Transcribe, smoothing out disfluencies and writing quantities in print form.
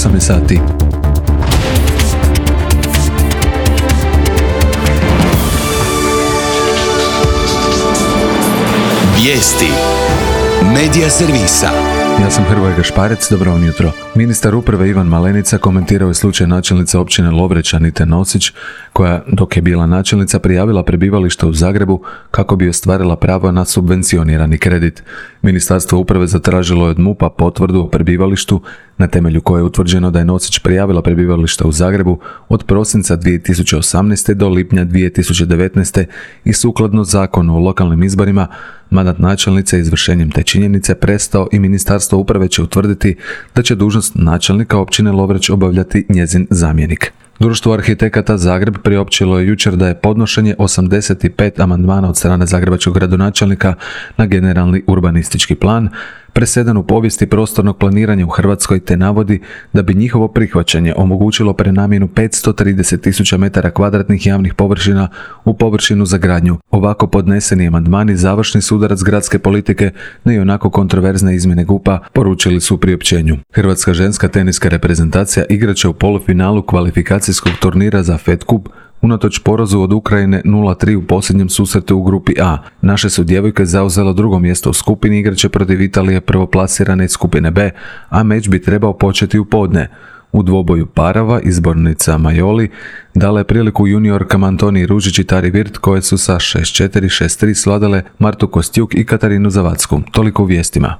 18 sati. Vijesti Medija servisa. Ja sam Hrvoje Gašparec, dobro vam jutro. Ministar uprave Ivan Malenica komentirao je slučaj načelnice općine Lovreć Anite Nosić, koja, dok je bila načelnica, prijavila prebivalište u Zagrebu kako bi ostvarila pravo na subvencionirani kredit. Ministarstvo uprave zatražilo je od MUP-a potvrdu o prebivalištu, na temelju koje je utvrđeno da je Nosić prijavila prebivalište u Zagrebu od prosinca 2018. do lipnja 2019. i sukladno zakonu o lokalnim izborima, mandat načelnice izvršenjem te činjenice prestao i Ministarstvo uprave će utvrditi da će dužnost načelnika općine Lovreć obavljati njezin zamjenik. Društvo arhitekata Zagreb priopćilo je jučer da je podnošenje 85 amandmana od strane zagrebačkog gradonačelnika na generalni urbanistički plan presedan u povijesti prostornog planiranja u Hrvatskoj, te navodi da bi njihovo prihvaćanje omogućilo prenamjenu 530.000 metara kvadratnih javnih površina u površinu za gradnju. Ovako podneseni amandmani završni sudarac gradske politike na ionako kontroverzne izmjene GUP-a, poručili su u priopćenju. Hrvatska ženska teniska reprezentacija igraće u polufinalu kvalifikacijskog turnira za Fed Cup unatoč porazu od Ukrajine 0-3 u posljednjem susretu u grupi A. Naše su djevojke zauzelo drugo mjesto u skupini, igraće protiv Italije prvoplasirane iz skupine B, a meč bi trebao početi u podne. U dvoboju parova izbornica Majoli dala je priliku juniorkama Antoniji Ružić i Tari Virt, koje su sa 6-4, 6-3 svladale Martu Kostjuk i Katarinu Zavacku. Toliko u vijestima.